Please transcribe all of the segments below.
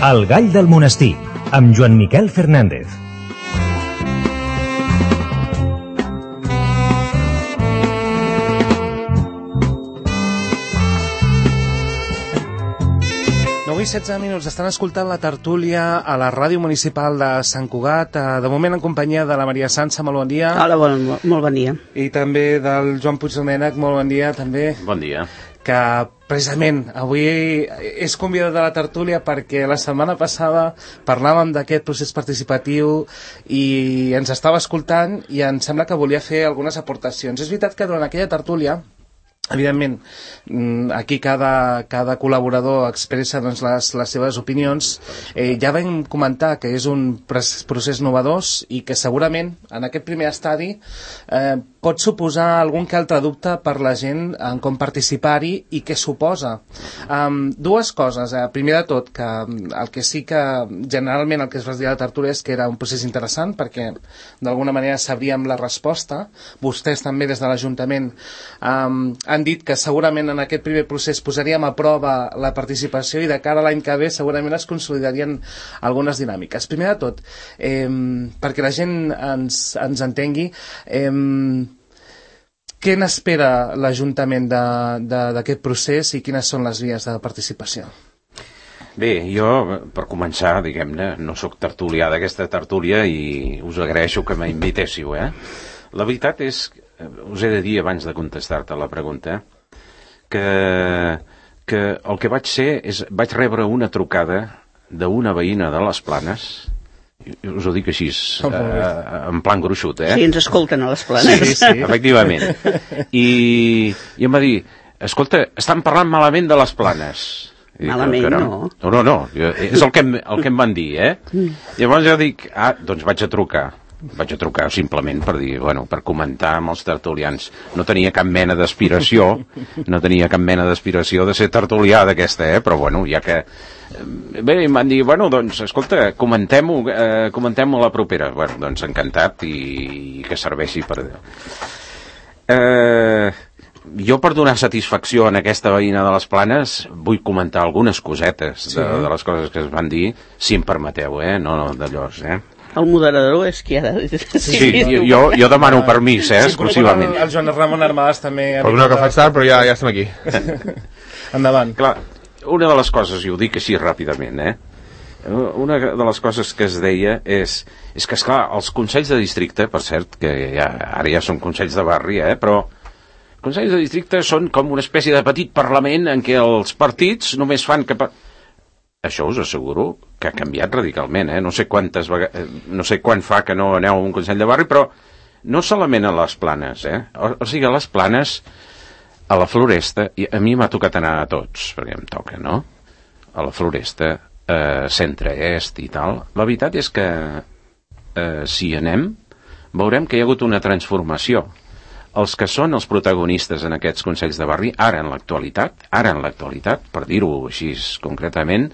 El gall del monestir, amb Joan Miquel Fernández. Avui 16 minuts estan escoltant la tertúlia a la ràdio municipal de Sant Cugat, de moment en companyia de la Maria Sança, molt bon dia. Hola, molt bon dia. I també del Joan Puigdomènech, molt bon dia també. Bon dia. Que precisament avui és convidat de la tertúlia perquè la setmana passada parlàvem d'aquest procés participatiu i ens estava escoltant i em sembla que volia fer algunes aportacions. És veritat que durant aquella tertúlia, evidentment, aquí cada col·laborador expressa doncs, les seves opinions. Ja vam comentar que és un procés novedós i que segurament en aquest primer estadi pot suposar algun que altre dubte per la gent en com participar-hi i què suposa. Dues coses. Primer de tot, que el que sí que generalment el que es va dir a la tertúlia és que era un procés interessant perquè d'alguna manera sabríem la resposta. Vostès també des de l'Ajuntament han dit que segurament en aquest primer procés posaríem a prova la participació i de cara a l'any que ve segurament es consolidarien algunes dinàmiques. Primer de tot, perquè la gent ens entengui, què n'espera l'Ajuntament d'aquest procés i quines són les vies de participació? Bé, jo, per començar, diguem-ne, no sóc tertulià d'aquesta tertúlia i us agraeixo que m'invitéssiu, La veritat és, us he de dir abans de contestar-te la pregunta, que el que vaig ser és, vaig rebre una trucada d'una veïna de les Planes, us ho dic així, en plan gruixut, Sí, ens escolten a les Planes. Sí, efectivament. I em va dir, escolta, estan parlant malament de les Planes. Malament, no. No, és el que em van dir, Llavors jo dic, doncs vaig a trucar simplement per dir, per comentar amb els tertulians. No tenia cap mena d'aspiració de ser tertulià d'aquesta, però ja que... Bé, em van dir, doncs, escolta, comentem-ho a la propera. Doncs encantat i que serveixi per... Jo, per donar satisfacció en aquesta veïna de les Planes, vull comentar algunes cosetes de les coses que es van dir, si em permeteu, no d'allò, El moderador és qui ha de... Sí, jo demano permís, exclusivament. El Joan Ramon Armadas també... Perdona que faig tard, però ja estem aquí. Endavant. Clar, una de les coses, i ho dic així ràpidament, una de les coses que es deia és que, esclar, els consells de districte, per cert, que ara ja són consells de barri, però consells de districte són com una espècie de petit parlament en què els partits només fan que... Això us asseguro que ha canviat radicalment, No sé quan fa que no aneu a un consell de barri, però no solament a les Planes, O sigui, a les Planes, a la Floresta, i a mi m'ha tocat anar a tots, perquè em toca, no? A la Floresta, centre-est i tal. La veritat és que si anem, veurem que hi ha hagut una transformació. Els que són els protagonistes en aquests consells de barri, ara en l'actualitat, per dir-ho així concretament,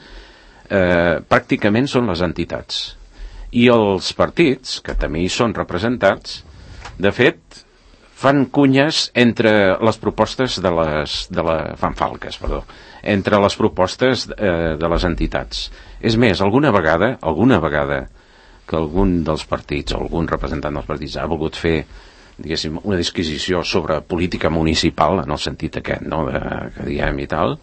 pràcticament són les entitats. I els partits, que també hi són representats, de fet, fan cunyes entre les propostes fan falques, entre les propostes de les entitats. És més, alguna vegada que algun dels partits, o algun representant dels partits ha volgut fer, diguéssim, una disquisició sobre política municipal, en el sentit aquest, que diem i tal,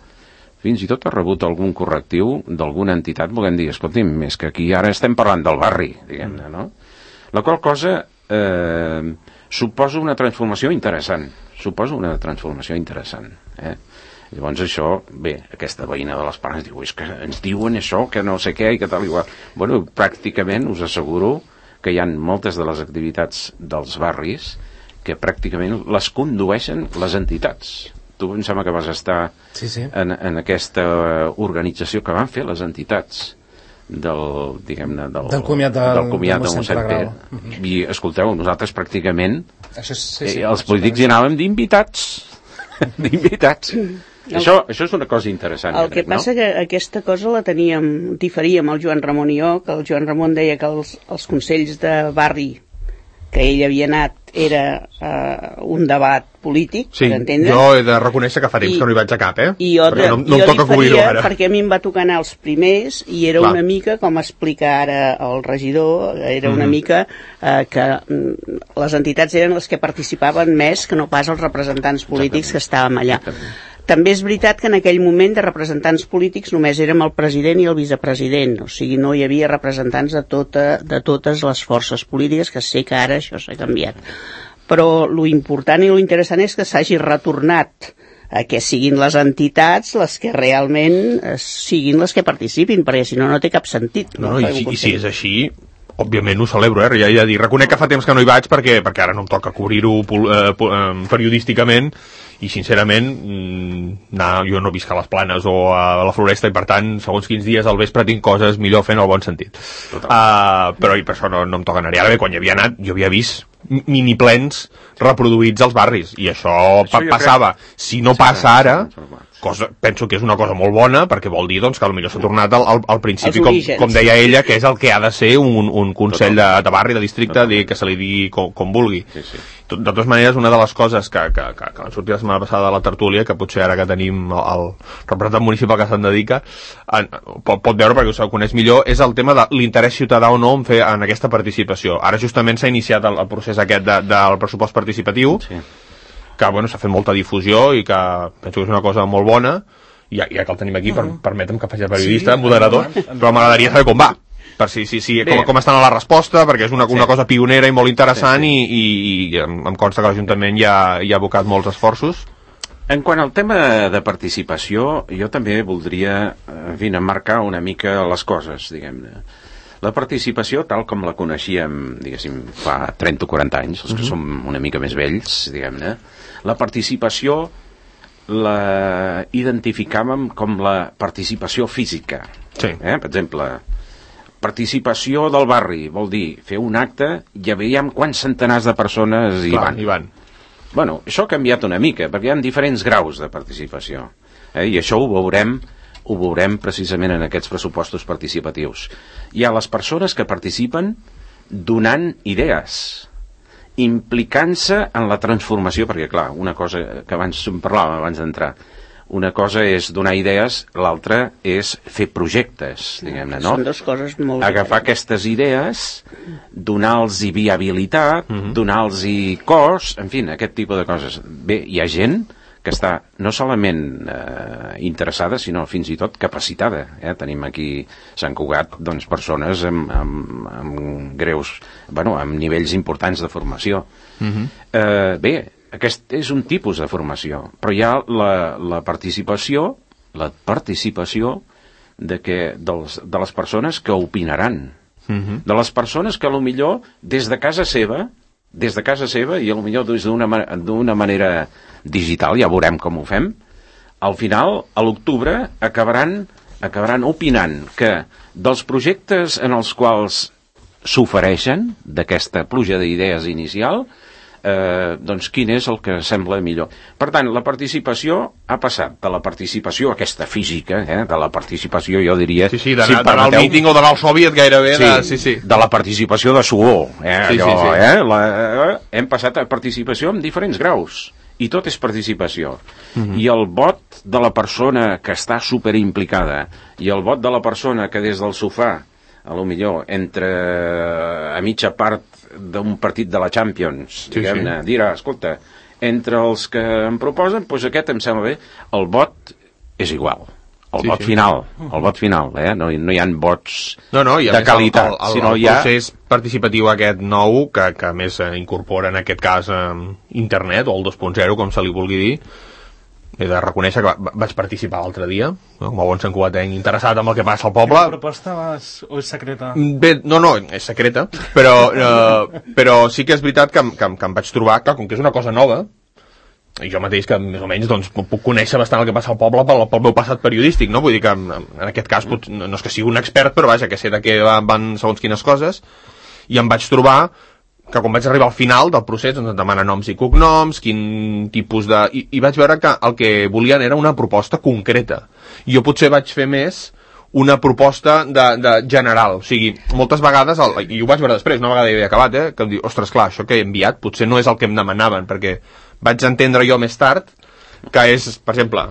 fins i tot ha rebut algun correctiu d'alguna entitat volent dir, escolti'm, és que aquí ara estem parlant del barri, diguem-ne, no? La qual cosa suposa una transformació interessant. Llavors això, bé, aquesta veïna de les Planes diu, és que ens diuen això, que no sé què i que tal igual. Pràcticament us asseguro que hi ha moltes de les activitats dels barris que pràcticament les condueixen les entitats. Tu em sembla que vas estar en aquesta organització que van fer les entitats del comiat de Mossèn Pere. I escolteu, nosaltres pràcticament els polítics hi anàvem d'invitats. Això és una cosa interessant. El que passa que aquesta cosa la diferíem el Joan Ramon i jo, que el Joan Ramon deia que els consells de barri que ell havia anat era un debat polític, Sí, per entendre. jo he de reconèixer que fa temps que no hi vaig a cap, I jo, perquè no jo em toca cobrir-ho ara. perquè a mi em va tocar anar els primers i era Clar. una mica, com explica ara el regidor, era una mica que les entitats eren les que participaven més que no pas els representants polítics que estàvem allà. També és veritat que en aquell moment de representants polítics només érem el president i el vicepresident, o sigui, no hi havia representants de totes les forces polítiques, que sé que ara això s'ha canviat. Però lo important i lo interessant és que s'hagi retornat a que siguin les entitats les que realment siguin les que participin, perquè si no, no té cap sentit. No, i si és així, òbviament ho celebro, ja he de dir. Reconec que fa temps que no hi vaig perquè ara no em toca cobrir-ho periodísticament i sincerament jo no visc a les Planes o a la Floresta i per tant segons quins dies al vespre tinc coses millor fent el bon sentit, però per això no em toca anar-hi. Ara bé, quan hi havia anat jo havia vist miniplens reproduïts als barris i això passava. Si no passa ara, penso que és una cosa molt bona perquè vol dir doncs, que potser s'ha tornat al principi, com deia ella, que és el que ha de ser un consell de barri, de districte, que se li digui com vulgui. De totes maneres, una de les coses que van sortir la setmana passada de la tertúlia, que potser ara que tenim el representant municipal que se'n dedica pot veure perquè ho coneix millor, és el tema de l'interès ciutadà o no en aquesta participació. Ara justament s'ha iniciat el procés aquest del pressupost participatiu, que s'ha fet molta difusió i que penso que és una cosa molt bona, i ja que el tenim aquí, permetem que faci de periodista, moderador, però m'agradaria saber com va, per com estan a la resposta, perquè és una cosa pionera i molt interessant i em consta que l'Ajuntament ja ha abocat molts esforços. En quant al tema de participació, jo també voldria emmarcar una mica les coses, diguem-ne. La participació, tal com la coneixíem, diguéssim, fa 30 o 40 anys, els que som una mica més vells, diguem-ne, la participació la identificàvem com la participació física. Sí. Per exemple, participació del barri, vol dir fer un acte i veiem quants centenars de persones hi van. Bueno, això ha canviat una mica, perquè hi ha diferents graus de participació. I això ho veurem precisament en aquests pressupostos participatius. Hi ha les persones que participen donant idees, implicant-se en la transformació, perquè clar, una cosa que abans parlàvem abans d'entrar, una cosa és donar idees, l'altra és fer projectes, diguem-ne, no? Són dues coses molt agafar aquestes idees, donar-los viabilitat, donar-los cos, en fi, aquest tipus de coses. Bé, hi ha gent que està no solament interessada, sinó fins i tot capacitada. Tenim aquí a Sant Cugat persones amb greus, amb nivells importants de formació. Bé, aquest és un tipus de formació, però hi ha la participació de les persones que opinaran, de les persones que potser des de casa seva i potser d'una manera digital, ja veurem com ho fem, al final, a l'octubre, acabaran opinant que dels projectes en els quals s'ofereixen, d'aquesta pluja d'idees inicial, doncs quin és el que sembla millor. Per tant, la participació ha passat de la participació aquesta física, de la participació, jo diria... Sí, d'anar al míting o d'anar al sòviet gairebé... De la participació de suor. Hem passat a participació en diferents graus. I tot és participació. I el vot de la persona que està superimplicada i el vot de la persona que des del sofà, a lo millor, entre a mitja part d'un partit de la Champions, diguem-ne, dirà, escolta, entre els que em proposen, doncs aquest em sembla bé, el vot és igual. El vot final, no hi ha vots de qualitat, sinó hi ha... El procés participatiu aquest nou, que a més incorpora en aquest cas internet, o el 2.0, com se li vulgui dir, he de reconèixer que vaig participar l'altre dia, com a bon santcugatenc interessat en el que passa al poble. La proposta o és secreta? Bé, no, és secreta, però sí que és veritat que em vaig trobar, clar, com que és una cosa nova, i jo mateix que més o menys doncs, puc conèixer bastant el que passa al poble pel meu passat periodístic, no? Vull dir que en aquest cas no és que sigui un expert, però vaja, que sé de què van segons quines coses, i em vaig trobar que quan vaig arribar al final del procés doncs, em demana noms i cognoms, quin tipus de... I vaig veure que el que volien era una proposta concreta. I jo potser vaig fer més una proposta de general. O sigui, moltes vegades, i ho vaig veure després, una vegada ja havia acabat, que em diu, ostres, clar, això que he enviat potser no és el que em demanaven, perquè vaig entendre jo més tard que és, per exemple,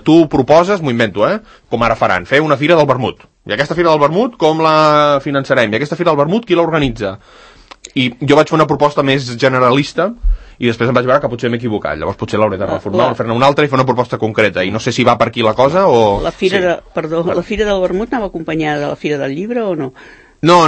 tu proposes, m'ho invento, com ara faran, fer una fira del vermut. I aquesta fira del vermut, com la finançarem? I aquesta fira del vermut, qui l'organitza? I jo vaig fer una proposta més generalista i després em vaig veure que potser m'he equivocat. Llavors potser l'hauré de reformar, fer-ne una altra i fer una proposta concreta. I no sé si va per aquí la cosa o... La fira del vermut anava acompanyada de la fira del llibre o no? No.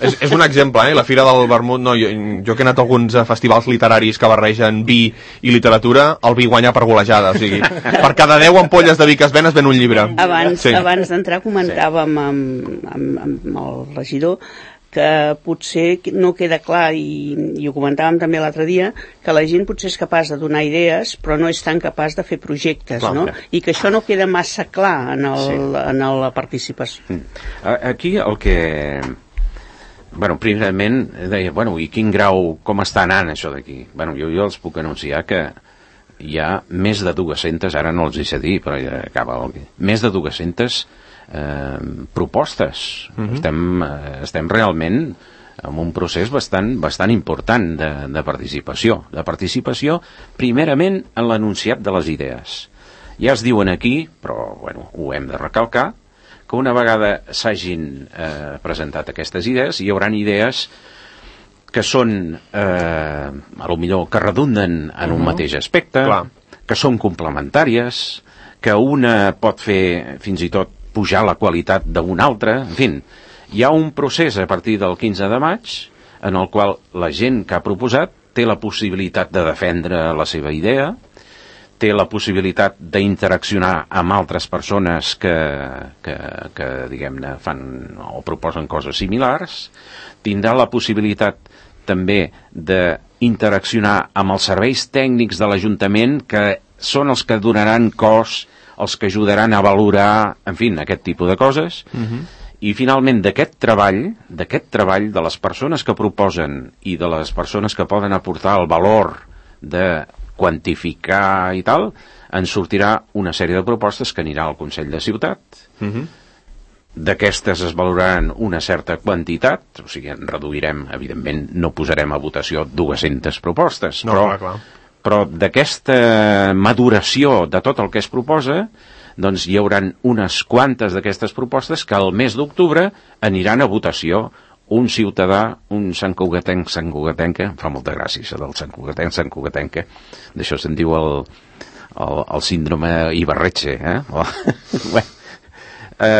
És un exemple, la fira del vermut, no, jo que he anat a alguns festivals literaris que barregen vi i literatura, el vi guanya per golejada, o sigui, per cada 10 ampolles de vi que es ven un llibre. Abans d'entrar comentàvem amb el regidor que potser no queda clar, i ho comentàvem també l'altre dia, que la gent potser és capaç de donar idees però no és tan capaç de fer projectes, no? I que això no queda massa clar en la participació. Aquí el que... primerament deia, i quin grau, com està anant això d'aquí? Jo els puc anunciar que hi ha més de 200, ara no els hi sé dir, però ja acaba més de 200 propostes. Estem realment en un procés bastant important de participació primerament en l'enunciat de les idees. Ja es diuen aquí, però ho hem de recalcar, que una vegada s'hagin presentat aquestes idees, hi haurà idees que són a lo millor que redunden en un mateix aspecte, que són complementàries, que una pot fer fins i tot pujar la qualitat d'una altra, en fi, hi ha un procés a partir del 15 de maig en el qual la gent que ha proposat té la possibilitat de defendre la seva idea, té la possibilitat d'interaccionar amb altres persones que diguem-ne, fan o proposen coses similars, tindrà la possibilitat també d'interaccionar amb els serveis tècnics de l'Ajuntament, que són els que donaran cos, els que ajudaran a valorar, en fi, aquest tipus de coses. I finalment d'aquest treball de les persones que proposen i de les persones que poden aportar el valor de quantificar i tal, en sortirà una sèrie de propostes que anirà al Consell de Ciutat. D'aquestes es valoraran una certa quantitat, o sigui, en reduirem, evidentment no posarem a votació 200 propostes, però d'aquesta maduració de tot el que es proposa, doncs hi haurà unes quantes d'aquestes propostes que al mes d'octubre aniran a votació. Un ciutadà, un santcugatenca, em fa molta gràcia això del santcugatenca, d'això se'n diu el síndrome Ibarretxe,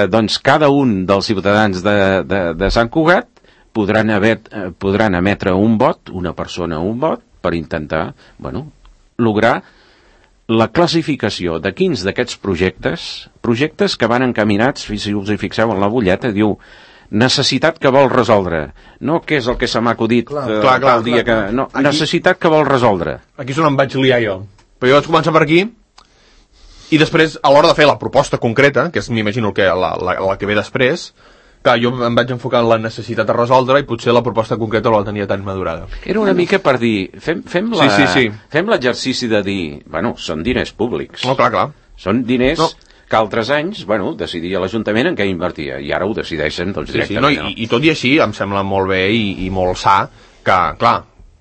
doncs cada un dels ciutadans de Sant Cugat podran emetre un vot, una persona un vot, per intentar, lograr la classificació de quins d'aquests projectes que van encaminats, si us hi fixeu en la butlleta, diu necessitat que vol resoldre, no què és el que se m'ha acudit el dia que... No, necessitat que vol resoldre. Aquí és on em vaig liar jo. Però jo vaig començar per aquí i després, a l'hora de fer la proposta concreta, que és, m'imagino, que la que ve després, clar, jo em vaig enfocar en la necessitat de resoldre i potser la proposta concreta no la tenia tan madurada. Era una mica per dir, fem l'exercici de dir, són diners públics. No, clar. Són diners que altres anys, decidia l'Ajuntament en què invertia, i ara ho decideixen directament. I tot i així em sembla molt bé i molt sa que, clar,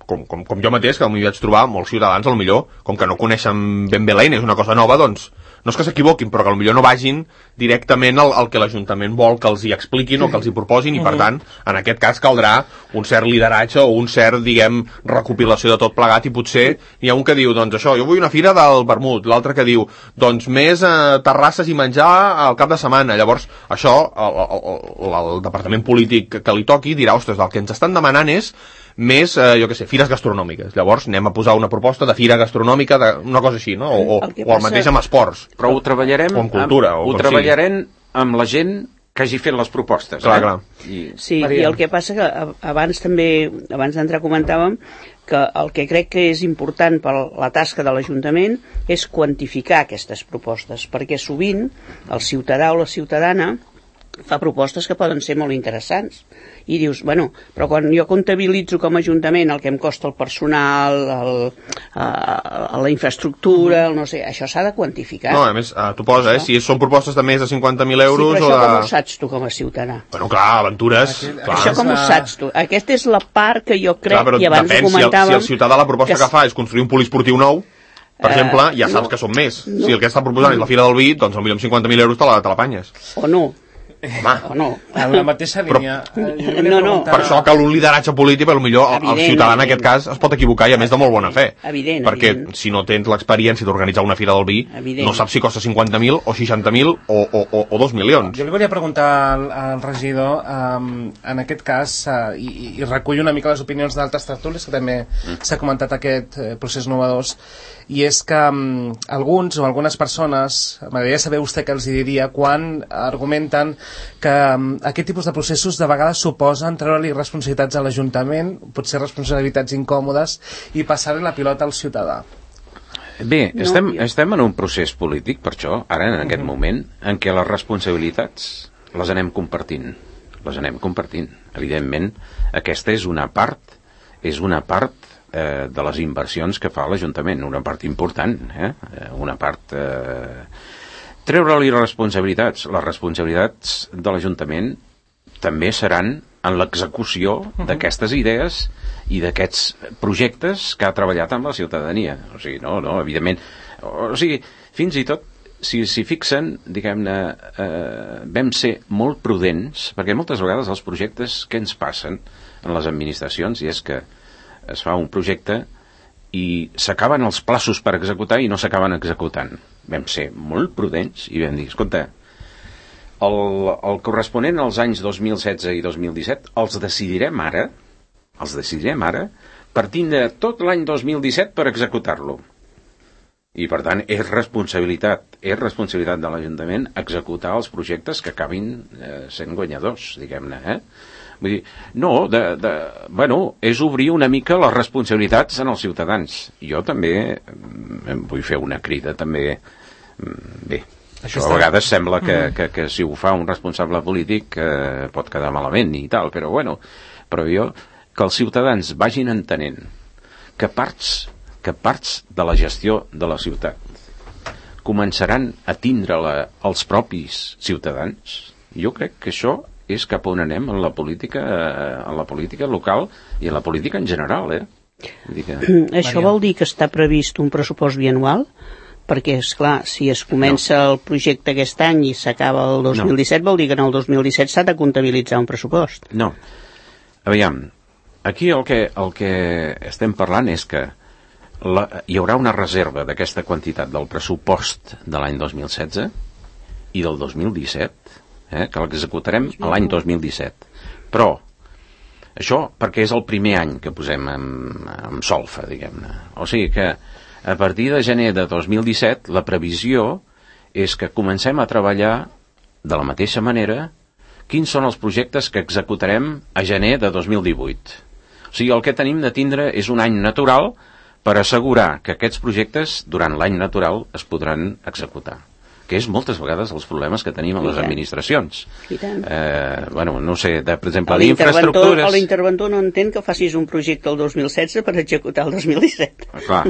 com jo mateix, que m'hi vaig trobar molts ciutadans, potser, com que no coneixen ben bé l'eina, és una cosa nova, doncs no és que s'equivoquin, però que potser no vagin directament al que l'Ajuntament vol que els hi expliquin o que els hi proposin, i per tant, en aquest cas caldrà un cert lideratge o un cert, diguem, recopilació de tot plegat, i potser hi ha un que diu, doncs això, jo vull una fira del vermut, l'altre que diu, doncs més terrasses i menjar al cap de setmana. Llavors, això, el departament polític que li toqui dirà, ostres, el que ens estan demanant és més, fires gastronòmiques. Llavors anem a posar una proposta de fira gastronòmica, una cosa així, no? O el mateix amb esports. Però ho treballarem, o amb cultura, amb la gent que hagi fet les propostes. Clar. Sí, i el que passa que abans d'entrar comentàvem que el que crec que és important per la tasca de l'Ajuntament és quantificar aquestes propostes, perquè sovint el ciutadà o la ciutadana fa propostes que poden ser molt interessants i dius, bueno, però quan jo comptabilitzo com a Ajuntament el que em costa el personal, la infraestructura, el no sé, això s'ha de quantificar. No, a més, tu posa, si són propostes de més de 50.000 euros... Sí, però això com ho saps tu com a ciutadà? Bueno, clar, aventures... Això com ho saps tu? Aquesta és la part que jo crec, clar, i abans ho comentàvem... Si el ciutadà la proposta que fa és construir un poliesportiu nou, per exemple, ja saps que són més. Si el que està proposant és la Fira del Vi, doncs potser amb 50.000 euros te l'apanyes. O no. Home. O no. En la mateixa línia... No. Per això cal un lideratge polític, però potser el ciutadà en aquest cas es pot equivocar i a més de molt bona fe. Perquè si no tens l'experiència d'organitzar una Fira del Vi, no saps si costa 50.000 o 60.000 o 2 milions. Jo li volia preguntar al regidor, en aquest cas, i recullo una mica les opinions d'altres tertúlies, que també s'ha comentat aquest procés innovadors, i és que alguns o algunes persones, m'agradaria saber vostè què els diria quan argumenten que aquest tipus de processos de vegades suposen treure-li responsabilitats a l'Ajuntament, potser responsabilitats incòmodes, i passar-li la pilota al ciutadà. Bé, estem en un procés polític, per això, ara en aquest moment, en què les responsabilitats les anem compartint. Evidentment, aquesta és una part de les inversions que fa l'Ajuntament, una part important, una part... Treure-li responsabilitats. Les responsabilitats de l'Ajuntament també seran en l'execució d'aquestes idees i d'aquests projectes que ha treballat amb la ciutadania. O sigui, no, evidentment... O sigui, fins i tot, si fixen, diguem-ne, vam ser molt prudents, perquè moltes vegades els projectes que ens passen en les administracions, i és que es fa un projecte i s'acaben els plaços per executar i no s'acaben executant. Vam ser molt prudents i vam dir, escolta, el corresponent als anys 2016 i 2017 els decidirem ara, per tindre tot l'any 2017 per executar-lo. I per tant és responsabilitat de l'Ajuntament executar els projectes que acabin sent guanyadors, diguem-ne, Vull dir, no, és obrir una mica les responsabilitats en els ciutadans. Jo també vull fer una crida, també, bé, això a vegades sembla que si ho fa un responsable polític pot quedar malament i tal, però jo, que els ciutadans vagin entenent que parts de la gestió de la ciutat començaran a tindre-la els propis ciutadans, jo crec que això és cap on anem en la política local i en la política en general, Això vol dir que està previst un pressupost bianual? Perquè, esclar, si es comença el projecte aquest any i s'acaba el 2017, vol dir que en el 2017 s'ha de comptabilitzar un pressupost. No. Aviam, aquí el que estem parlant és que hi haurà una reserva d'aquesta quantitat del pressupost de l'any 2016 i del 2017, que l'executarem l'any 2017. Però això perquè és el primer any que posem en solfa, diguem-ne. O sigui que a partir de gener de 2017 la previsió és que comencem a treballar de la mateixa manera quins són els projectes que executarem a gener de 2018. O sigui, el que tenim de tindre és un any natural per assegurar que aquests projectes durant l'any natural es podran executar, que és moltes vegades els problemes que tenim a les administracions. No sé, per exemple, d'infraestructures... L'interventor no entén que facis un projecte el 2016 per executar el 2017. Clar,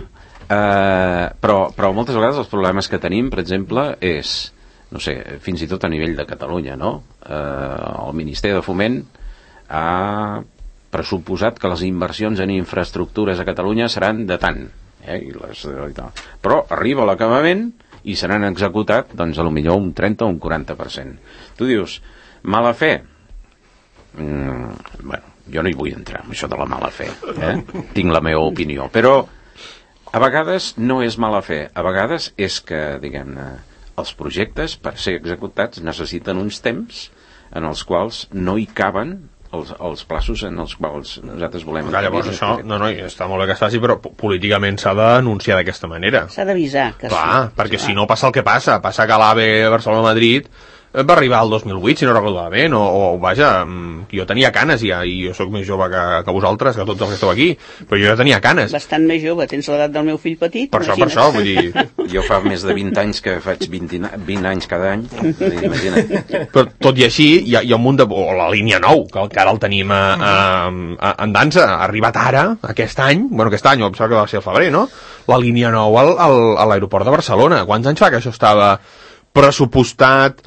però moltes vegades els problemes que tenim, per exemple, és, no sé, fins i tot a nivell de Catalunya, no? El Ministeri de Foment ha pressuposat que les inversions en infraestructures a Catalunya seran de tant, però arriba l'acabament i seran executat, doncs, potser un 30 o un 40%. Tu dius, mala fe? Jo no hi vull entrar en això de la mala fe, tinc la meva opinió, però a vegades no és mala fe, a vegades és que, diguem-ne, els projectes, per ser executats, necessiten uns temps en els quals no hi caben els plaços en els quals nosaltres volem... Llavors això, està molt bé que es faci, però políticament s'ha d'anunciar d'aquesta manera. S'ha d'avisar. Clar, perquè si no passa el que passa que l'AVE Barcelona-Madrid va arribar el 2008, si no recordo malament, o vaja, jo tenia canes ja, i jo sóc més jove que vosaltres, que tots els que esteu aquí, però jo ja tenia canes. Bastant més jove, tens l'edat del meu fill petit. Per això, vull dir... Jo fa més de 20 anys que faig 20 anys cada any, imagina't. Però tot i així, hi ha un munt de... O la línia 9, que ara el tenim en dansa, ha arribat ara, aquest any, aquest any, em sembla que va ser el febrer, no? La línia 9 a l'aeroport de Barcelona. Quants anys fa que això estava pressupostat,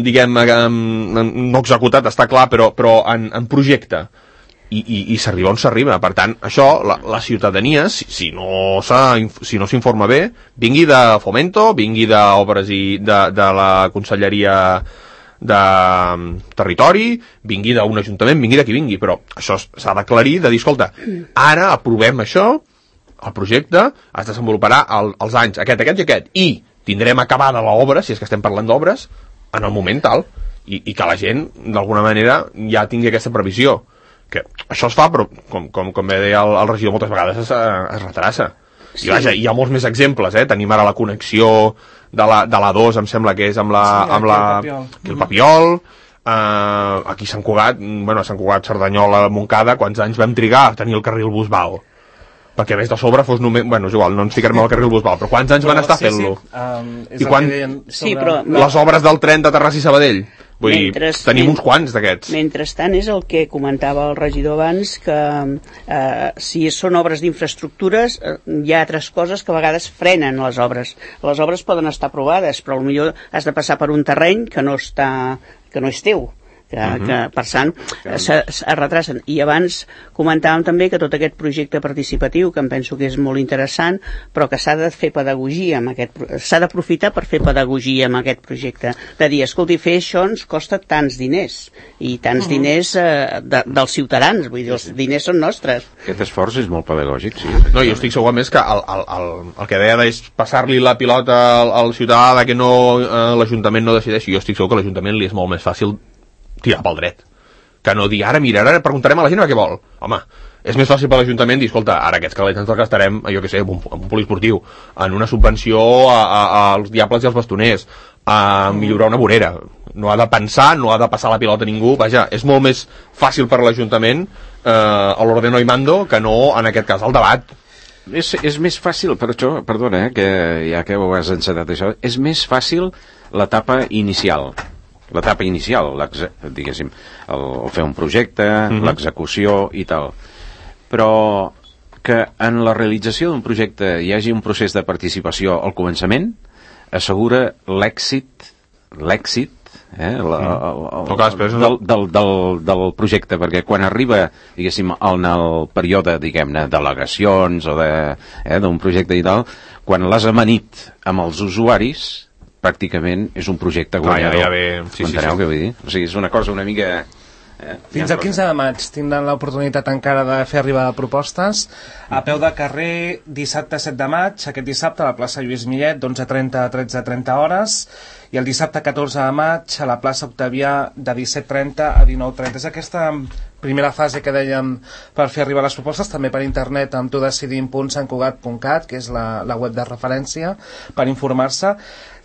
diguem, no executat, està clar, però en projecte, i s'arriba on s'arriba. Per tant, això, la ciutadania, si no s'informa bé, vingui de Fomento, vingui d'obres i de la Conselleria de Territori, vingui d'un ajuntament, vingui de qui vingui, però això s'ha d'aclarir, de dir, escolta, ara aprovem això, el projecte es desenvoluparà als anys aquest i aquest, i tindrem acabada l'obra, si és que estem parlant d'obres, en el moment tal, i que la gent, d'alguna manera, ja tingui aquesta previsió. Que això es fa, però, com bé deia el regidor, moltes vegades es retrassa. Sí. I vaja, hi ha molts més exemples, tenim ara la connexió de la 2, em sembla que és amb el Papiol, aquí a Sant Cugat, Sant Cugat, Cerdanyola, Montcada, quants anys vam trigar a tenir el carril Busbal? Perquè a més de sobre fos només... és igual, no ens ficarem al carril Busbal, però quants anys van estar fent-lo? I les obres del tren de Terrassa i Sabadell? Vull dir, tenim uns quants d'aquests. Mentrestant és el que comentava el regidor abans, que si són obres d'infraestructures, hi ha altres coses que a vegades frenen les obres. Les obres poden estar aprovades, però potser has de passar per un terreny que no és teu. Que per tant es retrasen. I abans comentàvem també que tot aquest projecte participatiu, que em penso que és molt interessant, però que s'ha de fer pedagogia s'ha d'aprofitar per fer pedagogia amb aquest projecte, de dir, escolti, fer això ens costa tants diners, i tants diners dels ciutadans, vull dir, els diners són nostres. Aquest esforç és molt pedagògic, sí. No, jo estic segur, a més, que el que deia és passar-li la pilota al ciutadà, que l'Ajuntament no decideixi. Jo estic segur que a l'Ajuntament li és molt més fàcil tirar pel dret, que no dir ara preguntarem a la gent què vol. Home, és més fàcil per l'Ajuntament dir, escolta, ara aquests calés ens els gastarem, jo què sé, en un poliesportiu, en una subvenció als diables i als bastoners, a millorar una vorera. No ha de pensar, no ha de passar la pilota a ningú. Vaja, és molt més fàcil per l'Ajuntament a l'ordeno i mando que no, en aquest cas, el debat. És més fàcil, per això, perdona, que ja que ho has encetat això, és més fàcil l'etapa inicial, diguéssim, el fer un projecte, l'execució i tal. Però que en la realització d'un projecte hi hagi un procés de participació al començament assegura l'èxit del projecte, perquè quan arriba, diguéssim, en el període, diguem-ne, d'al·legacions o d'un projecte i tal, quan l'has amanit amb els usuaris, pràcticament és un projecte guanyador. M'enteneu què vull dir? O sigui, és una cosa una mica... Fins al 15 de maig tindran l'oportunitat encara de fer arribar propostes a peu de carrer dissabte 7 de maig, aquest dissabte a la plaça Lluís Millet d'11:30 a 13:30 hores, i el dissabte 14 de maig a la plaça Octavià de 17:30 a 19:30. És aquesta primera fase que dèiem per fer arribar les propostes, també per internet amb tudecidim.santcugat.cat, que és la web de referència per informar-se.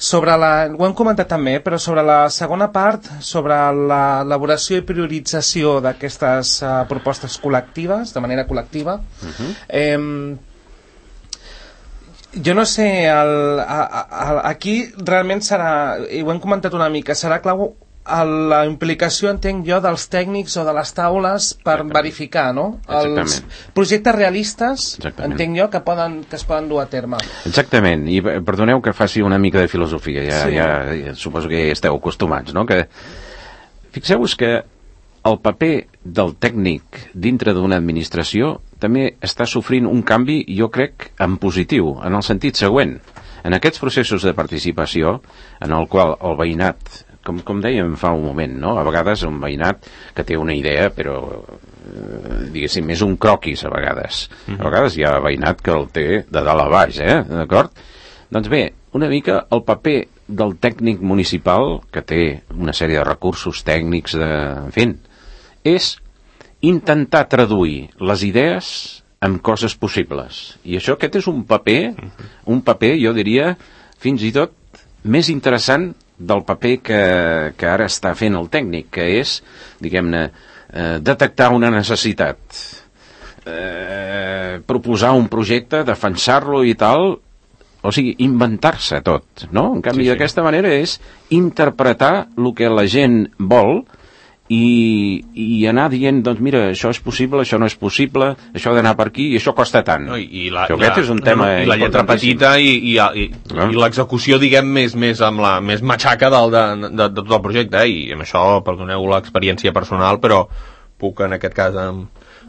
Ho hem comentat també, però sobre la segona part, sobre l'elaboració i priorització d'aquestes propostes col·lectives, de manera col·lectiva, jo no sé, aquí realment serà, i ho hem comentat una mica, serà clau la implicació, entenc jo, dels tècnics o de les taules per verificar, no? Els projectes realistes, entenc jo, que es poden dur a terme. Exactament, i perdoneu que faci una mica de filosofia, ja suposo que esteu acostumats, no? Que fixeu-vos que el paper del tècnic dintre d'una administració també està sofrint un canvi, jo crec, en positiu, en el sentit següent. En aquests processos de participació, en el qual el veïnat, com dèiem fa un moment, no? A vegades un veïnat que té una idea, però diguéssim, és un croquis a vegades. A vegades hi ha veïnat que el té de dalt a baix, d'acord? Doncs bé, una mica el paper del tècnic municipal, que té una sèrie de recursos tècnics, en fi, és intentar traduir les idees en coses possibles. I aquest és un paper, jo diria, fins i tot més interessant del paper que ara està fent el tècnic, que és, diguem-ne, detectar una necessitat, proposar un projecte, defensar-lo i tal, o sigui, inventar-se tot, no? En canvi, d'aquesta manera és interpretar el que la gent vol i anar dient, doncs mira, això és possible, això no és possible, això ha d'anar per aquí i això costa tant. Aquest és un tema i la lletra petita i l'execució, diguem, més amb la més matxaca de tot el projecte, i amb això, perdoneu l'experiència personal, però puc en aquest cas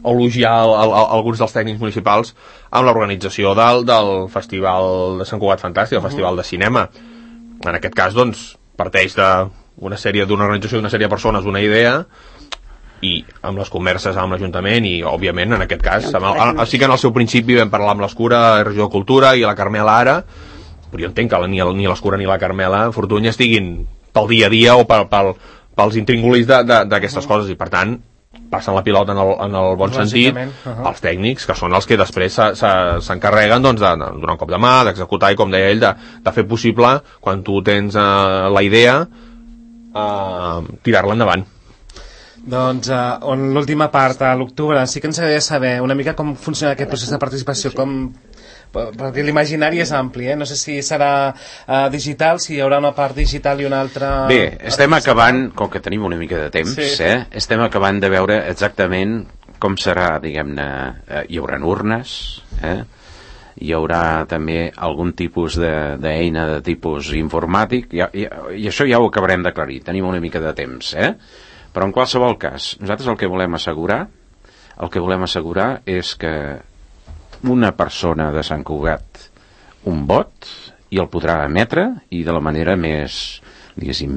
elogiar alguns dels tècnics municipals amb l'organització del Festival de Sant Cugat Fantàstic, el Festival de Cinema. En aquest cas, doncs, parteix d'una organització d'una sèrie de persones, una idea, i amb les converses amb l'Ajuntament i, òbviament, en aquest cas, sí que en el seu principi vam parlar amb l'Escura, la regió de Cultura i la Carmela ara, però jo entenc que ni l'Escura ni la Carmela Fortuny estiguin pel dia a dia o pels intríngulis d'aquestes coses, i per tant passen la pilota en el bon sentit als tècnics, que són els que després s'encarreguen doncs, de donar un cop de mà, d'executar, i com deia ell, de fer possible, quan tu tens la idea, tirar-la endavant. Doncs l'última part, a l'octubre, sí que ens agradaria saber una mica com funciona aquest procés de participació, perquè l'imaginari és ampli, no sé si serà digital, si hi haurà una part digital i una altra... Bé, estem acabant, com que tenim una mica de temps, estem acabant de veure exactament com serà, diguem-ne, hi haurà urnes, hi haurà també algun tipus d'eina de tipus informàtic, i això ja ho acabarem d'aclarir, tenim una mica de temps, però en qualsevol cas, nosaltres el que volem assegurar és que una persona de Sant Cugat un vot i el podrà emetre, i de la manera més, diguéssim,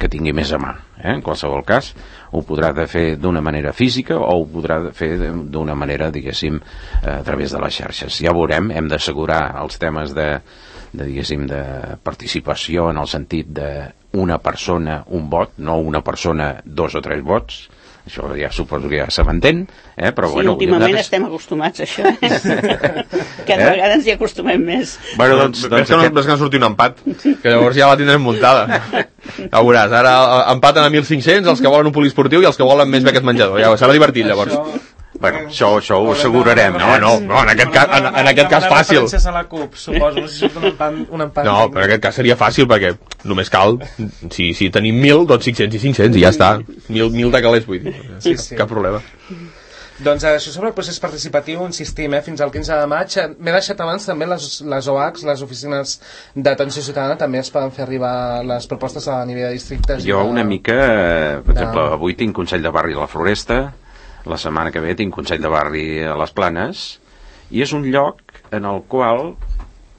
que tingui més a mà, en qualsevol cas ho podrà fer d'una manera física o ho podrà fer d'una manera, diguéssim, a través de les xarxes. Ja veurem, hem d'assegurar els temes diguéssim, de participació en el sentit d'una persona un vot, no una persona 2 o 3 vots. Això ja suposo que ja se m'entén, però sí, últimament estem acostumats a això, cada vegada ens hi acostumem més. Bueno, doncs que no surti un empat, que llavors ja la tindrem muntada. Ja veuràs, ara empaten a 1.500 els que volen un poliesportiu i els que volen més beques menjador, ja serà divertit llavors. Bueno, això ho assegurarem. No, en aquest cas fàcil. Referències a la CUP, suposo, no sé si surt un empat. No, però en aquest cas seria fàcil, perquè només cal, si tenim 1.000, doncs 500 i 500, i ja està. 1.000 de calés, vull dir. Sí. Cap problema. Doncs això sobre el procés participatiu, insistim, fins al 15 de maig. M'he deixat abans també les OACs, les oficines d'atenció ciutadana, també es poden fer arribar les propostes a nivell de districtes. Jo una mica, per exemple, avui tinc Consell de Barri a la Floresta, la setmana que ve tinc Consell de Barri a les Planes, i és un lloc en el qual,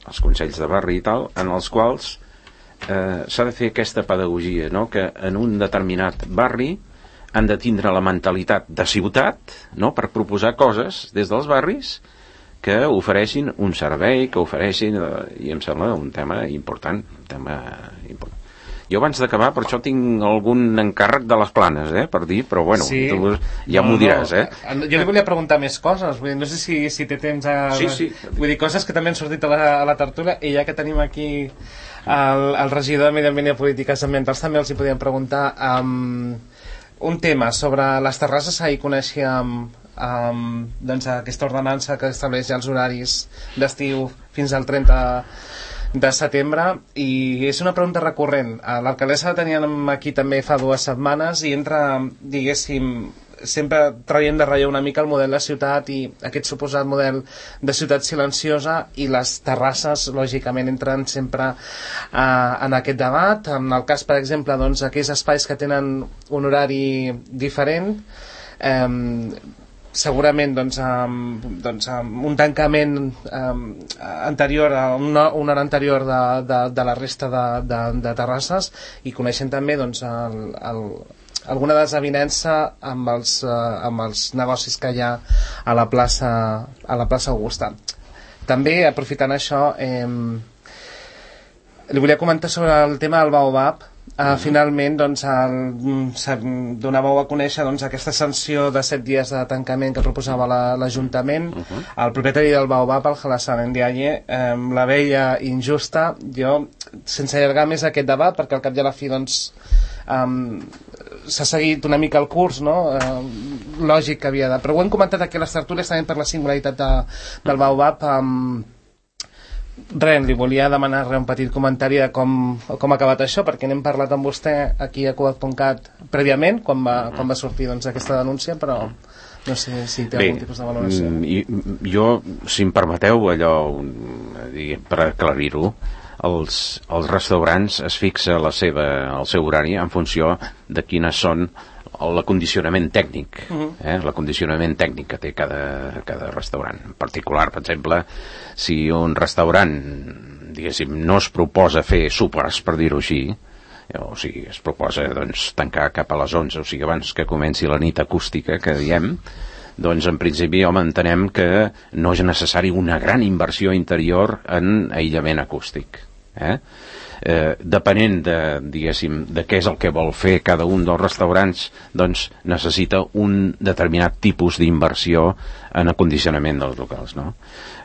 els consells de barri i tal, en els quals s'ha de fer aquesta pedagogia, no? Que en un determinat barri han de tindre la mentalitat de ciutat, no? Per proposar coses des dels barris que ofereixin un servei, que ofereixin, i em sembla un tema important, Jo abans d'acabar, per això tinc algun encàrrec de les Planes, per dir, però bueno, sí. Tu ja m'ho diràs, Jo li volia preguntar més coses, vull dir, no sé si té temps Sí. Vull dir, coses que també han sortit a la tertúlia, i ja que tenim aquí el regidor de Medi Ambient i Polítiques Ambientals, també els hi podíem preguntar un tema sobre les terrasses. Ahir coneixíem doncs, aquesta ordenança que estableix ja els horaris d'estiu fins al 30 de setembre, i és una pregunta recurrent. L'alcaldessa la teníem aquí també fa 2 setmanes i entra, diguéssim, sempre traient de relleu una mica el model de ciutat i aquest suposat model de ciutat silenciosa, i les terrasses lògicament entren sempre en aquest debat. En el cas, per exemple, doncs, aquells espais que tenen un horari diferent, segurament doncs, un tancament anterior, una hora anterior de la resta de terrasses, i coneixem també doncs, alguna desavinença amb els negocis que hi ha a la plaça Augusta. També, aprofitant això, li volia comentar sobre el tema del Baobab. finalment doncs, donàveu a conèixer doncs, aquesta sanció de 7 dies de tancament que proposava l'Ajuntament. El propietari del Baobab, el Halassan Ndiaye, la veia injusta. Jo, sense allargar més aquest debat, perquè al cap i a la fi doncs, s'ha seguit una mica el curs, no? Lògic que havia de... Però ho hem comentat aquí a les tertúlies també per la singularitat del Baobab. Res, li volia demanar un petit comentari de com ha acabat això, perquè n'hem parlat amb vostè aquí a Cugat.cat prèviament, quan va sortir doncs, aquesta denúncia, però no sé si té algun tipus de valoració. Jo, si em permeteu, allò, per aclarir-ho, els restaurants es fixa el seu horari en funció de quines són l'acondicionament tècnic, l'acondicionament tècnic que té cada restaurant. En particular, per exemple, si un restaurant, diguéssim, no es proposa fer sopars, per dir-ho així, o sigui, es proposa doncs, tancar cap a les 11, o sigui, abans que comenci la nit acústica, que diem, doncs en principi entenem que no és necessari una gran inversió interior en aïllament acústic. Depenent diguéssim, de què és el que vol fer cada un dels restaurants, doncs necessita un determinat tipus d'inversió en acondicionament dels locals, no?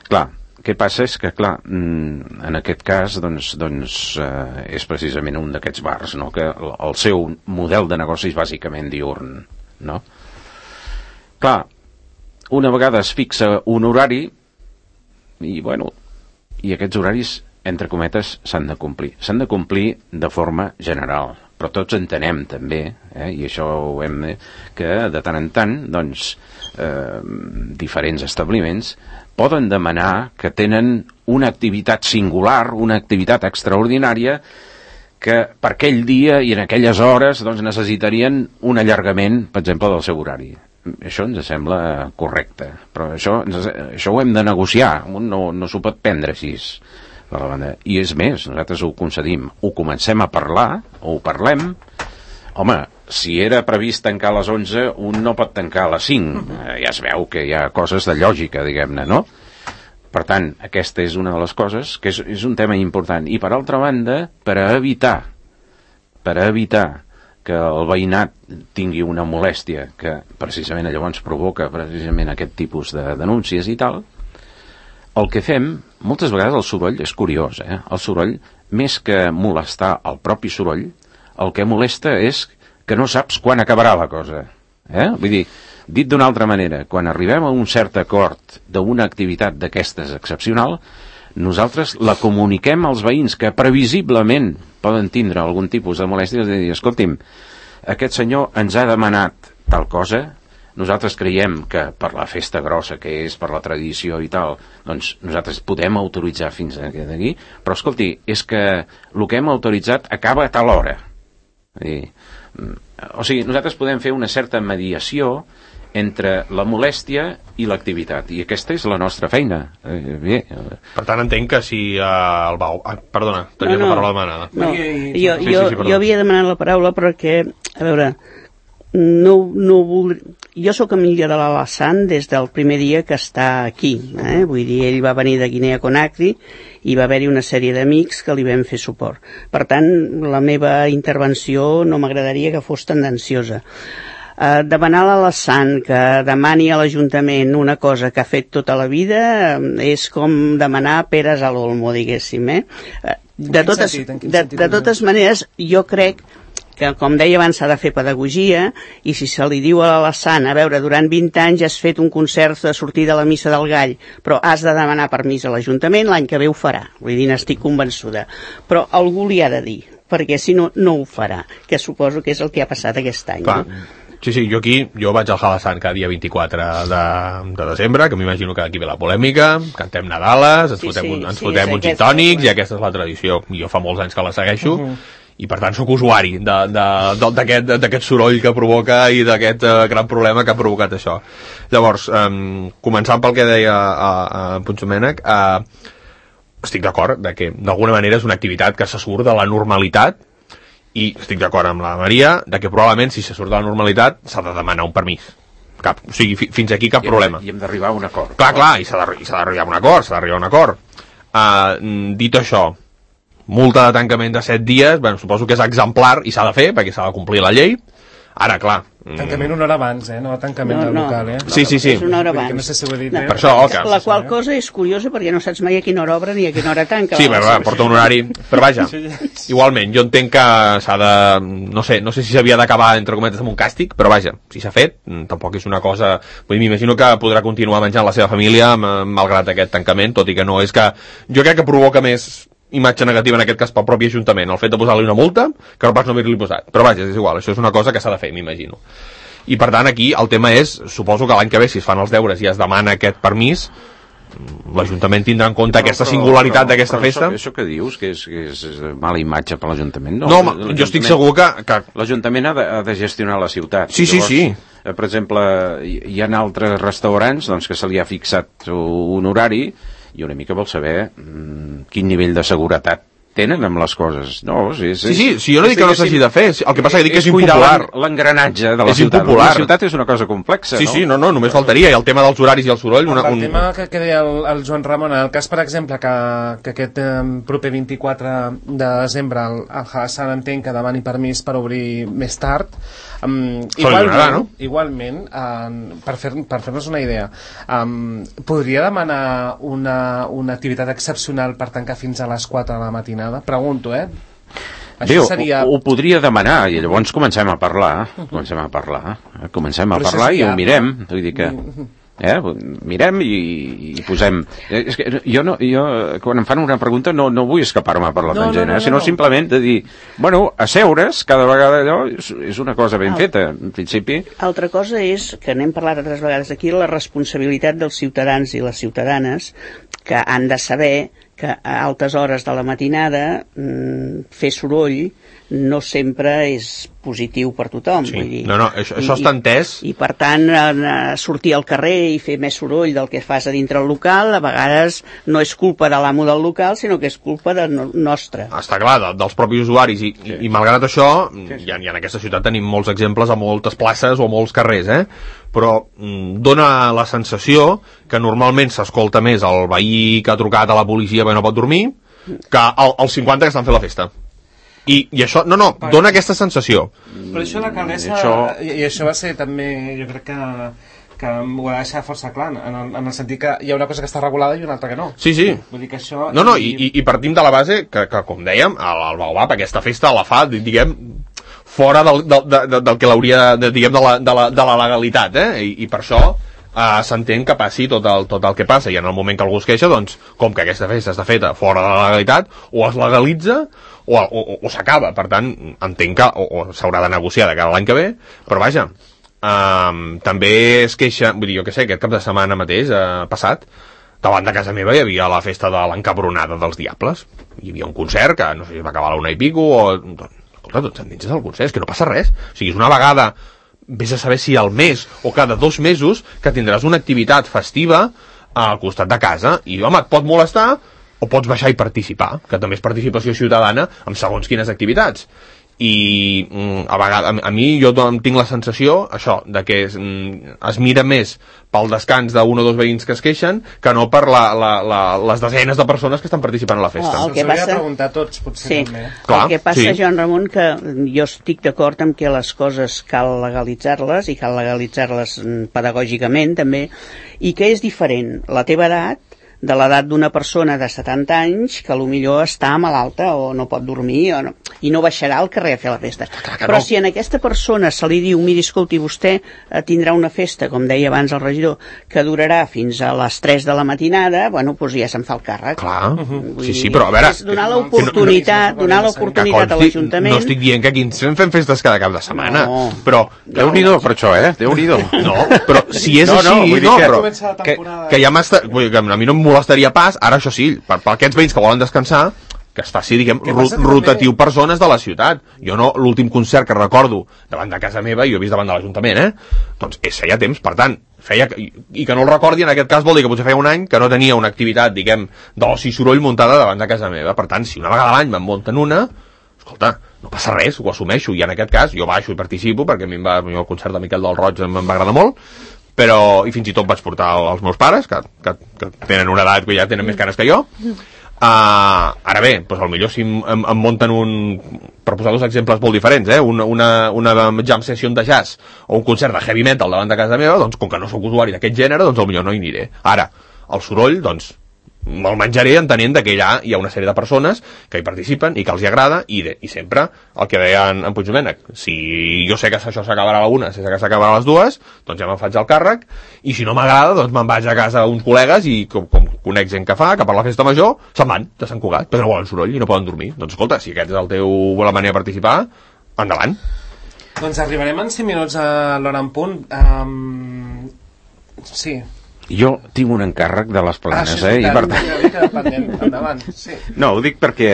Clar, què passa és que, clar, en aquest cas doncs, és precisament un d'aquests bars, no? Que el seu model de negoci és bàsicament diürn, no? Clar, una vegada es fixa un horari i, bueno, i aquests horaris, entre cometes, s'han de complir. S'han de complir de forma general, però tots entenem també, i això ho hem de, que de tant en tant, doncs, diferents establiments poden demanar que tenen una activitat singular, una activitat extraordinària, que per aquell dia i en aquelles hores doncs, necessitarien un allargament, per exemple, del seu horari. Això ens sembla correcte, però això ho hem de negociar, no s'ho pot prendre així. I és més, nosaltres ho concedim, ho comencem a parlar, o ho parlem. Home, si era previst tancar a les 11, un no pot tancar a les 5. Ja es veu que hi ha coses de lògica, diguem-ne, no? Per tant, aquesta és una de les coses que és un tema important. I per altra banda, per a evitar que el veïnat tingui una molèstia que precisament llavors provoca precisament aquest tipus de denúncies i tal, el que fem, moltes vegades el soroll és curiós, el soroll, més que molestar el propi soroll, el que molesta és que no saps quan acabarà la cosa. Vull dir, dit d'una altra manera, quan arribem a un cert acord d'una activitat d'aquestes excepcional, nosaltres la comuniquem als veïns que previsiblement poden tindre algun tipus de molèstia, és a dir, escolti'm, aquest senyor ens ha demanat tal cosa, nosaltres creiem que per la festa grossa que és, per la tradició i tal, doncs nosaltres podem autoritzar fins aquí, però escolti, és que el que hem autoritzat acaba a tal hora. O sigui, nosaltres podem fer una certa mediació entre la molèstia i l'activitat, i aquesta és la nostra feina. Per tant, entenc que si el Baobab... Perdona, tenia la paraula demanada. No, jo havia demanat la paraula perquè, a veure, jo sóc amiga de l'Halassan des del primer dia que està aquí, vull dir, ell va venir de Guinea Conakry i va haver-hi una sèrie d'amics que li vam fer suport. Per tant, la meva intervenció no m'agradaria que fos tendenciosa. Demanar a l'Halassan que demani a l'Ajuntament una cosa que ha fet tota la vida és com demanar peres a l'olmo, diguéssim. De totes maneres, jo crec que, com deia abans, s'ha de fer pedagogia, i si se li diu a l'Halassan, a veure, durant 20 anys has fet un concert de sortir de la Missa del Gall, però has de demanar permís a l'Ajuntament, l'any que ve ho farà. Vull dir, n'estic convençuda. Però algú li ha de dir, perquè si no, no ho farà, que suposo que és el que ha passat aquest any. Clar. Sí, jo vaig al Halassan cada dia 24 de desembre, que m'imagino que aquí ve la polèmica, cantem Nadales, ens fotem uns gin tònics, i aquesta és la tradició. Jo fa molts anys que la segueixo, i per tant sóc usuari d'aquest soroll que provoca i d'aquest gran problema que ha provocat això. Llavors, començant pel que deia Puigdomènech, estic d'acord que d'alguna manera és una activitat que se surt de la normalitat, i estic d'acord amb la Maria de que probablement si se surt de la normalitat s'ha de demanar un permís. O sigui, fins aquí cap problema. I hem d'arribar a un acord. Clar, i s'ha d'arribar a un acord, Dit això, multa de tancament de 7 dies, bueno, suposo que és exemplar i s'ha de fer, perquè s'ha de complir la llei. Ara, clar... Tancament una hora abans, no tancament del local, Sí. És una hora abans. No sé si ho he dit, Per això, la qual cosa és curiosa perquè no saps mai a quina hora obre ni a quina hora tanca. Sí, porta un horari... Però vaja, igualment, jo entenc que s'ha de... No sé si s'havia d'acabar, entre cometes, amb un càstig, però vaja, si s'ha fet, tampoc és una cosa... Vull dir, m'imagino que podrà continuar menjant la seva família malgrat aquest tancament, tot i que no és que... Jo crec que provoca més imatge negativa en aquest cas pel propi Ajuntament, el fet de posar-li una multa que no pas no haver-li posat, però vaja, és igual, això és una cosa que s'ha de fer, m'imagino. I per tant aquí el tema és, suposo que l'any que ve si es fan els deures i es demana aquest permís, l'Ajuntament tindrà en compte aquesta singularitat d'aquesta festa. Això que dius, que és mala imatge per l'Ajuntament? No, jo estic segur que... L'Ajuntament ha de gestionar la ciutat. Sí. Per exemple, hi ha altres restaurants doncs, que se li ha fixat un horari i una mica vol saber quin nivell de seguretat tenen amb les coses. No, sí, jo no dic que no s'hagi de fer, el que passa que dic que és impopular. L'engranatge de la ciutat. La ciutat és una cosa complexa, no? Sí, només faltaria, i el tema dels horaris i el soroll... El tema que deia el Joan Ramon, en el cas, per exemple, que aquest proper 24 de desembre el Hassan entenc que demani permís per obrir més tard, igualment, per fer-nos una idea, podria demanar una activitat excepcional per tancar fins a les 4 de la matinada? Pregunto, Això seria... Ho podria demanar i llavors comencem a parlar i ho mirem, vull dir que mirem i posem... És que jo quan em fan una pregunta no vull escapar-me per la tangent, sinó simplement de dir, bueno, asseure's cada vegada allò és una cosa ben feta, en principi. Altra cosa és, que n'hem parlat altres vegades aquí, la responsabilitat dels ciutadans i les ciutadanes que han de saber que a altes hores de la matinada fer soroll no sempre és positiu per tothom. Sí. Vull dir, això està entès. I per tant, sortir al carrer i fer més soroll del que fas a dintre el local, a vegades no és culpa de l'amo del local, sinó que és culpa nostra. Està clar, dels propis usuaris, i malgrat això, ja en aquesta ciutat tenim molts exemples a moltes places o a molts carrers, però dona la sensació que normalment s'escolta més el veí que ha trucat a la policia perquè no pot dormir que els 50 que estan fent la festa. I això, dona aquesta sensació. Però això l'alcaldessa, i això va ser també, jo crec que ho ha de deixar força clar, en el sentit que hi ha una cosa que està regulada i una altra que no. Sí. Vull dir que això... I partim de la base que com dèiem, el Baobab aquesta festa la fa, diguem, fora del que l'hauria, diguem, de la legalitat, i per això s'entén que passi tot el que passa, i en el moment que algú es queixa, doncs, com que aquesta festa està feta fora de la legalitat, o es legalitza o s'acaba. Per tant, entenc que o s'haurà de negociar de cara a l'any que ve, però vaja, també es queixa, vull dir, jo què sé, aquest cap de setmana mateix passat, davant de casa meva hi havia la festa de l'encabronada dels Diables, hi havia un concert que no sé si va acabar a la 1 i pico escolta, tots endinses del concert, és que no passa res, o sigui, és una vegada, vés a saber si al mes o cada 2 mesos que tindràs una activitat festiva al costat de casa, i home, et pot molestar o pots baixar i participar, que també és participació ciutadana amb segons quines activitats. I a vegades, a mi jo tinc la sensació això, de que es mira més pel descans d'un o dos veïns que es queixen que no per les desenes de persones que estan participant a la festa. El que passa... preguntar tots, potser també. Clar, el que passa, Joan Ramon, que jo estic d'acord amb que les coses cal legalitzar-les, i cal legalitzar-les pedagògicament també, i que és diferent la teva edat de l'edat d'una persona de 70 anys que potser està malalta o no pot dormir i no baixarà al carrer a fer la festa. Però si a aquesta persona se li diu, miri, escolti, vostè tindrà una festa, com deia abans el regidor, que durarà fins a les 3 de la matinada, bueno, doncs ja se'n fa el càrrec. Clar, sí, però a veure... És donar l'oportunitat a l'Ajuntament... No estic dient que aquí ens fem festes cada cap de setmana, però... Déu-n'hi-do per això, Déu-n'hi-do. No, però si és així... Que ja m'està... A mi no em molestaria pas, ara això sí, per aquests veïns que volen descansar, que es faci, diguem, rotatiu persones de la ciutat. Jo no, l'últim concert que recordo davant de casa meva, i ho he vist davant de l'Ajuntament, doncs feia temps, per tant, i que no el recordi, en aquest cas vol dir que potser feia un any que no tenia una activitat, diguem, d'oci i soroll muntada davant de casa meva. Per tant, si una vegada a l'any me'n munten una, escolta, no passa res, ho assumeixo, i en aquest cas jo baixo i participo, perquè a mi el concert de Miquel del Roig em va agradar molt, però, i fins i tot vaig portar els meus pares, que tenen una edat que ja tenen més canes que jo, Ara bé, doncs potser si em munten per posar dos exemples molt diferents, una jam session de jazz o un concert de heavy metal davant de casa meva, doncs com que no sóc usuari d'aquest gènere, doncs potser no hi aniré. Ara, el soroll, doncs me'l menjaré entenent que allà hi ha una sèrie de persones que hi participen i que els hi agrada i sempre el que deia en Puigdomènec, si jo sé que això s'acabarà a la 1, sé que s'acabarà a les 2, doncs ja me'n faig el càrrec, i si no m'agrada doncs me'n vaig a casa uns col·legues i com conec gent que fa, que per la festa major se'n van de Sant Cugat, perquè no volen soroll i no poden dormir. Doncs escolta, si aquest és la manera de participar, endavant. Doncs arribarem en 5 minuts a l'hora en punt. Sí. Jo tinc un encàrrec de les Planes, i per tant... Endavant, sí. No, ho dic perquè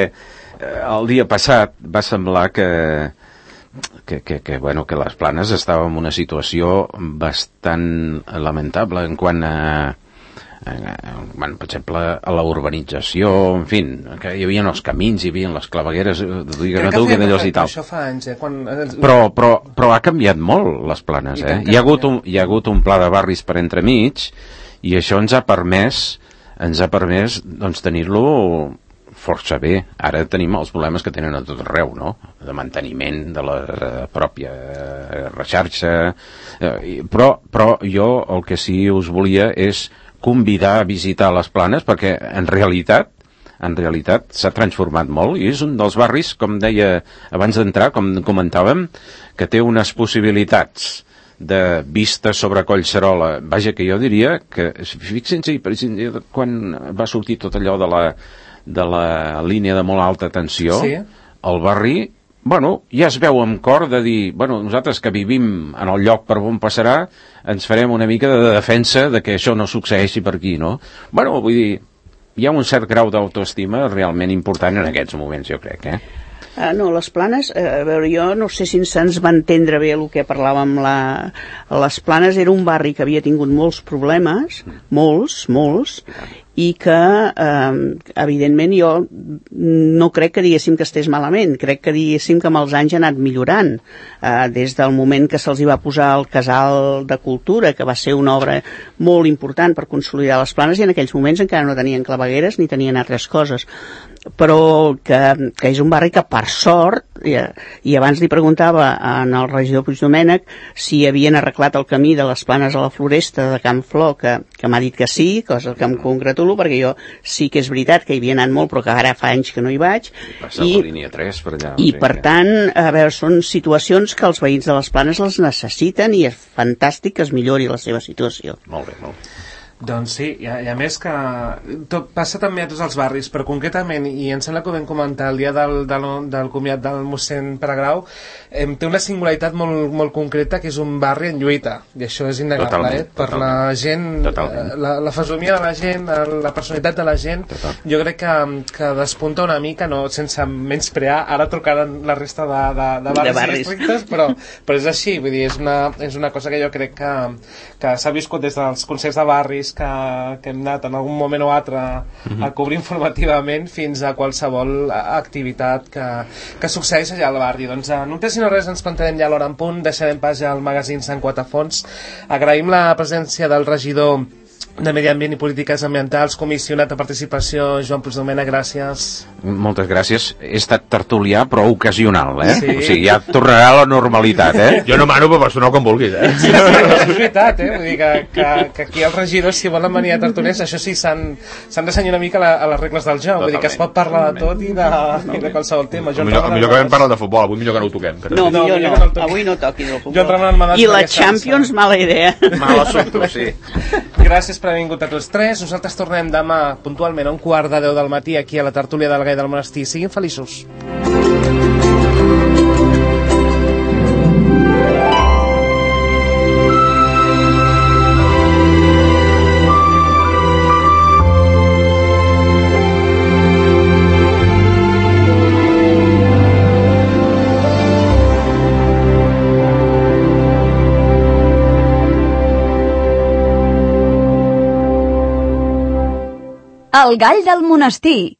el dia passat va semblar que les Planes estava en una situació bastant lamentable en quant a per exemple, a la urbanització, en fi, que hi havia els camins, hi havia les clavegueres, d'allò i tal. Això fa anys, Però ha canviat molt les Planes, Hi ha hagut un pla de barris per entremig i això ens ha permès doncs tenir-lo força bé. Ara tenim els problemes que tenen a tot arreu, no? De manteniment de la pròpia xarxa, però jo el que sí us volia és convidar a visitar les Planes, perquè en realitat s'ha transformat molt i és un dels barris, com deia abans d'entrar, com comentàvem, que té unes possibilitats de vista sobre Collserola. Vaja, que jo diria que, fixin-se, quan va sortir tot allò de la línia de molt alta tensió, el barri, ja es veu amb cor de dir, nosaltres que vivim en el lloc per on passarà, ens farem una mica de defensa de que això no succeeixi per aquí, no? Vull dir, hi ha un cert grau d'autoestima realment important en aquests moments, jo crec, No, les Planes, a veure, jo no sé si se'ns va entendre bé el que parlàvem. Les Planes era un barri que havia tingut molts problemes, molts, i que, evidentment, jo no crec que diguéssim que estés malament, crec que diguéssim que amb els anys ha anat millorant, des del moment que se'ls hi va posar el Casal de Cultura, que va ser una obra molt important per consolidar les Planes, i en aquells moments encara no tenien clavegueres ni tenien altres coses, però que és un barri que per sort, i abans li preguntava al regidor Puigdomènec si havien arreglat el camí de les Planes a la Floresta de Can Flor, que m'ha dit que sí, cosa que em congratulo, perquè jo sí que és veritat que hi havia anat molt, però que ara fa anys que no hi vaig. Passa la línia 3 per allà. I per tant, a veure, són situacions que els veïns de les Planes les necessiten i és fantàstic que es millori la seva situació. Molt bé, molt bé. Doncs sí, i a més que tot passa també a tots els barris, però concretament, i em sembla que ho vam comentar el dia del comiat del mossèn Peregrau, té una singularitat molt concreta, que és un barri en lluita, i això és innegable, per la gent, la fesomia de la gent, la personalitat de la gent. Jo crec que despunta una mica, no, sense menysprear, ara trucaran la resta de barris districtes, però és així, vull dir, és una cosa que jo crec que s'ha viscut des dels concerts de barris que hem anat en algun moment o altre a cobrir informativament fins a qualsevol activitat que succeeix allà al barri. Doncs no té sinó res, ens plantarem ja a l'hora en punt, deixarem pas ja al magazín Sant Quatafons. Agraïm la presència del regidor de Medi Ambient i Polítiques Ambientals, comissionat de participació, Joan Puigdomènec, gràcies. Moltes gràcies. He estat tertulià, però ocasional, Sí. O sigui, ja tornarà a la normalitat, Jo no mano, però personal com vulguis, Sí, és veritat, Vull dir que aquí els regidors, si volen venir a tertulians, això sí, s'han de cenyir una mica a les regles del joc. Vull dir que es pot parlar de tot i de qualsevol tema. Millor que vam parlar de futbol, avui millor que no ho toquem. No, millor no, avui no toqui del futbol. I la Champions, mala idea. Mal assumpte, sí. Gràcies per haver vingut a tots tres. Nosaltres tornem demà puntualment a 11:45 del matí aquí a la tertúlia del Gai del Monestir. Siguin feliços. El Gall del Monestir,